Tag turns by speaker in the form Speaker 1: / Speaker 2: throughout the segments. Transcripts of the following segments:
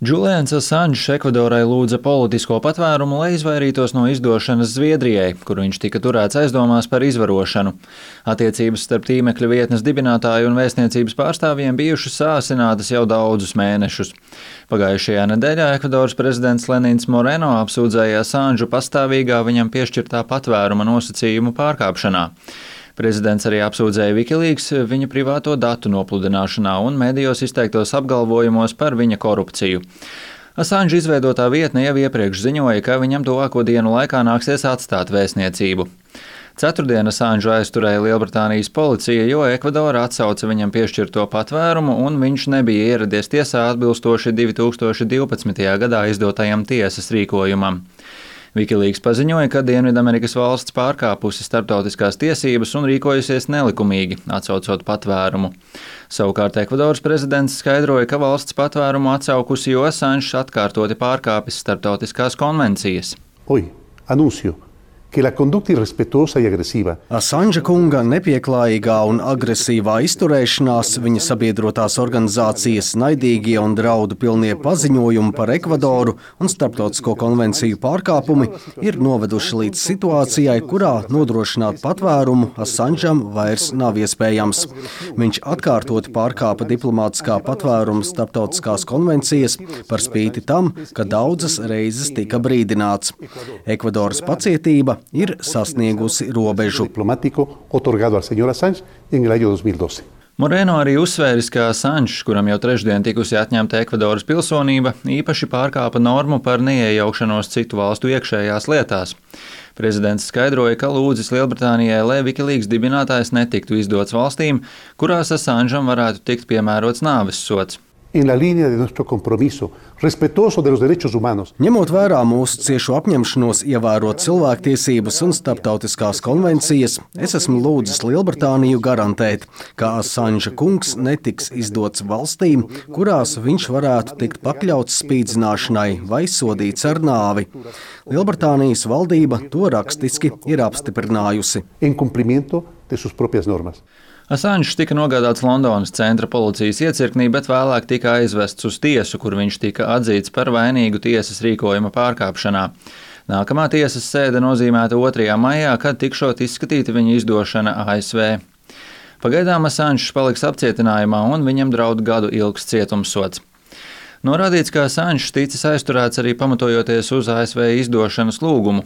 Speaker 1: Julians Assange Ekvadorā lūdza politisko patvērumu, lai izvairītos no izdošanas Zviedrijai, kur viņš tika turēts aizdomās par izvarošanu. Attiecības starp tīmekļa vietnes dibinātāju un vēstniecības pārstāvjiem bijušas sāsinātas jau daudzus mēnešus. Pagājušajā nedēļā Ekvadoras prezidents Lenins Moreno apsūdzēja Assangu pastāvīgā viņam piešķirtā patvēruma nosacījumu pārkāpšanā. Prezidents arī apsūdzēja Wikileaks viņa privāto datu nopludināšanā un medijos izteiktos apgalvojumos par viņa korupciju. Assange izveidotā vietne jau iepriekš ziņoja, ka viņam tuvāko dienu laikā nāksies atstāt vēstniecību. Ceturtdien Assangu aizturēja Lielbritānijas policija, jo Ekvadora atsauca viņam piešķirto patvērumu un viņš nebija ieradies tiesā atbilstoši 2012. gadā izdotajam tiesas rīkojumam. Wikileaks paziņoja, ka Dienvidamerikas valsts pārkāpusi starptautiskās tiesības un rīkojusies nelikumīgi, atsaucot patvērumu. Savukārt Ekvadoras prezidents skaidroja, ka valsts patvērumu atsaukusi, jo Assange atkārtoti pārkāpis starptautiskās konvencijas.
Speaker 2: Assange kunga nepieklājīgā un agresīvā izturēšanās, viņa sabiedrotās organizācijas naidīgie un draudu pilnie paziņojumi par Ekvadoru un starptautisko konvenciju pārkāpumi ir noveduši līdz situācijai, kurā nodrošināt patvērumu Assangeam vairs nav iespējams. Viņš atkārtoti pārkāpa diplomātiskā patvēruma starptautiskās konvencijas par spīti tam, ka daudzas reizes tika brīdināts. Ekvadoras pacietība ir sasniegusi robežu.
Speaker 1: Moreno arī uzsvēris, ka Assange, kuram jau trešdien tikusi atņemta Ekvadoras pilsonība, īpaši pārkāpa normu par neiejaukšanos citu valstu iekšējās lietās. Prezidents skaidroja, ka lūdzis Lielbritānijai, lai Wikileaks dibinātājs netiktu izdots valstīm, kurās Assangeam varētu tikt piemērots nāves sods.
Speaker 2: Ņemot vērā mūsu ciešo apņemšanos ievērot cilvēktiesības un starptautiskās konvencijas, es esmu lūdzis Lielbritāniju garantēt, ka Assange kungs netiks izdots valstīm, kurās viņš varētu tikt pakļauts spīdzināšanai vai sodīts ar nāvi. Lielbritānijas valdība to rakstiski ir apstiprinājusi.
Speaker 1: Assange tika nogādāts Londonas centra policijas iecirknī, bet vēlāk tika aizvests uz tiesu, kur viņš tika atzīts par vainīgu tiesas rīkojuma pārkāpšanā. Nākamā tiesas sēde nozīmēta 2. maijā, kad tikšot izskatīta viņa izdošana ASV. Pagaidām Assange paliks apcietinājumā un viņam draud gadu ilgs cietumsods. Norādīts, ka Assange ticis aizturēts arī pamatojoties uz ASV izdošanas lūgumu.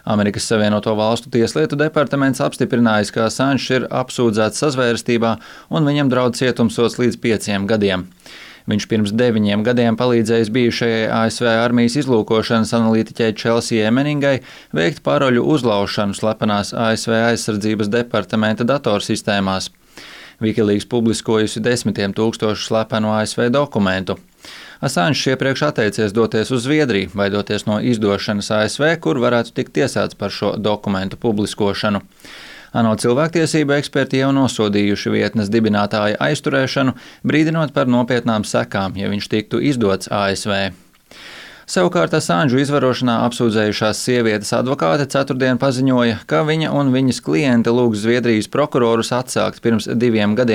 Speaker 1: Amerikas Savienoto Valstu tieslietu departaments apstiprinājis, ka Assange ir apsūdzēts sazvērstībā un viņam draud cietumsods līdz 5 gadiem. Viņš pirms 9 gadiem palīdzējis bijušajai ASV armijas izlūkošanas analītiķei Chelsea Manningai veikt paroļu uzlaušanu slepenās ASV aizsardzības departamenta datorsistēmās. Wikileaks publiskojusi 10 000 slepenu ASV dokumentu. Assange iepriekš atteicies doties uz Zviedriju, baidoties no izdošanas ASV, kur varētu tikt tiesāts par šo dokumentu publiskošanu. ANO cilvēktiesību eksperti jau nosodījuši vietnes dibinātāja aizturēšanu, brīdinot par nopietnām sekām, ja viņš tiktu izdots ASV. Savukārt Assangu izvarošanā apsūdzējušās sievietes advokāte ceturtdien paziņoja, ka viņa un viņas kliente lūgs Zviedrijas prokurorus atsākt pirms 2 gadiem